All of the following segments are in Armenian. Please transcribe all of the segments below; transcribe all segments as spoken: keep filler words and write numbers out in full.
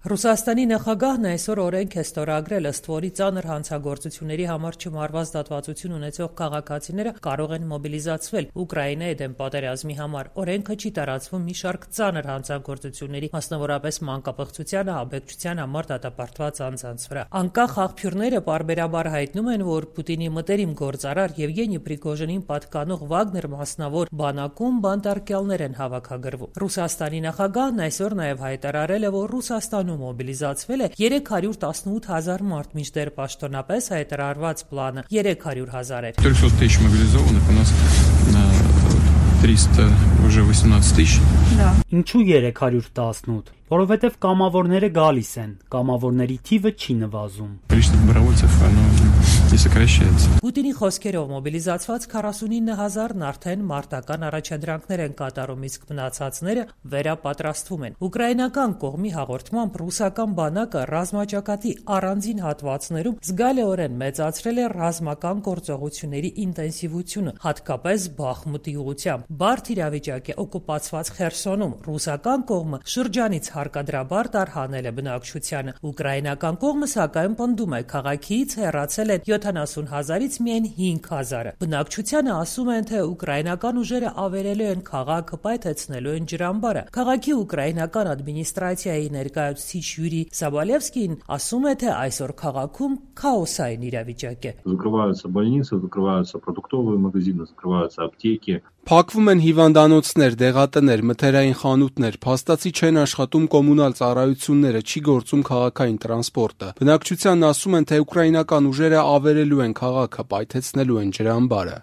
Ռուսաստանի նախագահն այսօր օրենք է ստորագրել, ըստ որի ծանր հանցագործությունների համար չմարված դատվածություն ունեցող քաղաքացիները կարող են մոբիլիզացվել Ուկրաինայի դեմ պատերազմի համար։ Օրենքը չի տարածվում մի շարք ծանր հանցագործությունների, մասնավորապես մանկապղծության, ահաբեկչության համար դատապարտված անձանց վրա։ Անկախ աղբյուրները պարբերաբար հայտնում են, որ Պուտինի մտերիմ գործարար Եվգենի Պրիգոժինին պատկանող Վագներ մասնավոր բանակում բանտարկյալներ են հավաքագրվում։ Ռուսաստանի նախագահն այսօր նաև հայտարարել է, որ Ռուսաստանում մոբիլիզացվել է երեք հարյուր տասնութ հազար մարդ, մինչդեռ պաշտոնապես հայտարարված պլանը երեք հարյուր հազար էր։ трехсот тысяч мобилизованных, у нас триста уже восемнадцать тысяч. Да. Ինչու երեք հարյուր տասնութ? Որովհետև կամավորները գալիս են, կամավորների թիվը չի նվազում։ Количество добровольцев, оно не сокращается. Պուտինի խոսքերով մոբիլիզացված քառասունինը հազարն արդեն մարտական առաջադրանքներ են կատարում, իսկ մնացածները վերապատրաստվում են։ Ուկրաինական կողմի հաղորդմամբ ռուսական բանակը ռազմաճակատի առանձին հատվածներում զգալիորեն մեծացրել է ռազմական գործողությունների ինտենսիվությունը, հատկապես Բախմուտի ուղղությամբ։ Բարդ իրավիճակ է օկուպացված Խերսոնում։ Ռուսական կողմը շրջանից հարկադրաբար տարհանել է բնակչությանը։ Ուկրաինական կողմը սակայն պնդում է, քաղաքից հեռացել են յոթանասուն հազարից միայն հինգ հազարը։ Բնակչությանը ասում են, թե ուկրաինական ուժերը ավերելու են քաղաքը, պայթեցնելու են ջրամբարը։ Քաղաքի ուկրաինական ադմինիստրացիայի ներկայացուցիչ Յուրի Սաբալևսկին ասում է, թե այսօր քաղաքում քաոսային իրավիճակ է։ Закрываются больницы, закрываются продуктовые магазины, закрываются аптеки. Փակվում են հիվանդանոցներ, դեղատներ, մթերային խանութներ, փաստացի չեն աշխատում կոմունալ ծառայությունները, չի գործում քաղաքային տրանսպորտը։ Բնակչությանն ասում են, թե ուկրաինական ուժերը ավերելու են քաղաքը, պայթեցնելու են ջրամբարը։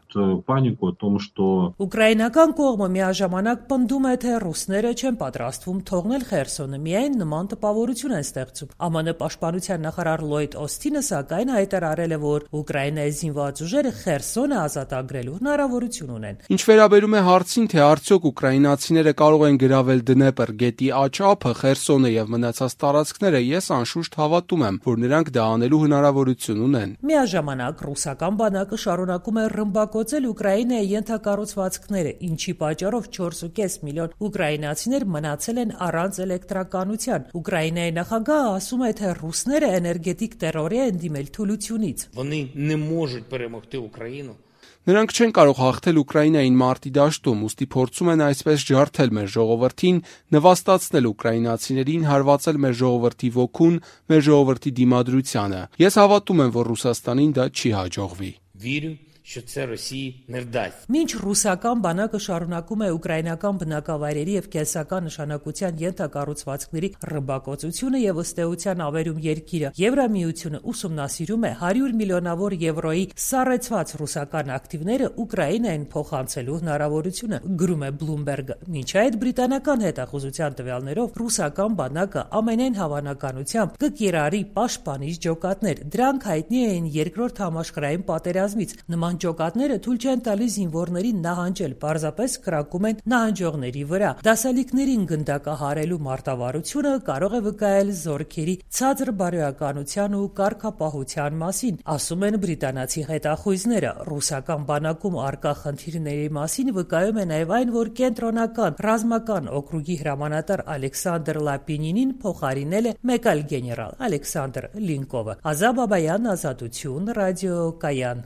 Панику о том, что Ուկրաինական կողմը միաժամանակ պնդում է, թե ռուսները չեն պատրաստվում թողնել Խերսոնը, միայն նման տպավորություն են ստեղծում։ ԱՄՆ պաշտպանության նախարար Լոյդ Օսթինը սակայն հայտարարել է, որ Ուկրաինայի զինված ուժերը Խերսոնը ազատագրելու հնարավորություն ունեն։ Ինչ վերաբերում է հարցին, թե արդյոք ուկրաինացիները կարող են գրավել Դնեպր գետի աջ ափը, Խերսոնը եւ մնացած տարածքները, ես անշուշտ հավատում եմ, որ նրանք դա անելու հնարավորություն ունեն։ Միաժամանակ ռուսական բանակը շարունակում է ռմբակոծել Ուկրաինայի ենթակառուցվածքները, ինչի պատճառով չորս ու կես միլիոն ուկրաինացիներ մնացել են առանց էլեկտրականության։ Ուկրաինայի նախագահը ասում է, թե ռուսները էներգետիկ տերորի են դիմել թուլությունից։ Вони не можуть перемогти Україну. Նրանք չեն կարող հաղթել Ուկրաինային մարտի դաշտում, ուստի փորձում են այսպես ջարդել մեր ժողովրդին, նվաստացնել ուկրաինացիներին, հարվածել մեր ժողովրդի ոգուն, մեր ժողովրդի դիմադրությանը։ Ես հավատում եմ, որ Ռուսաստանին դա չի հաջողվի։ Вірю, що це Росії не вдасться. Մինչ ռուսական բանակը շարունակում է ուկրաինական բնակավայրերի եւ կենսական նշանակության ենթակառուցվածքների ռմբակոծությունը եւ ըստ էության ավերում երկիրը, Եվրամիությունը ուսումնասիրում է հարյուր միլիոնավոր եվրոյի սառեցված ռուսական ակտիվները Ուկրաինային փոխանցելու հնարավորությունը, գրում է Bloomberg-ը։ Մինչ այդ բրիտանական հետախուզության տվյալներով ռուսական բանակը ամենայն հավանականությամբ կկիրառի պաշտպանիչ ջոկատներ։ Դրանք հայտնի էին երկրորդ համաշխարհային պատերազմից։ Նման ջոկատները թույլ չեն տալիս զինվորներին նահանջել, պարզապես կրակում են նահանջողների վրա։ Դասալիկներին գնդակահարելու մարտավարությունը կարող է վկայել զորքերի ցածր բարոյականության ու կարգապահության մասին, ասում են բրիտանացի հետախույզները։ Ռուսական բանակում առկա խնդիրների մասին վկայում է նաև այն, որ կենտրոնական ռազմական օկրուգի հրամանատար Ալեքսանդր Լապինինին փոխարինել է մեկ այլ գեներալ՝ Ալեքսանդր Լինկովը։ Ազա Բաբայան, Ազատություն, ռադիո Կայան։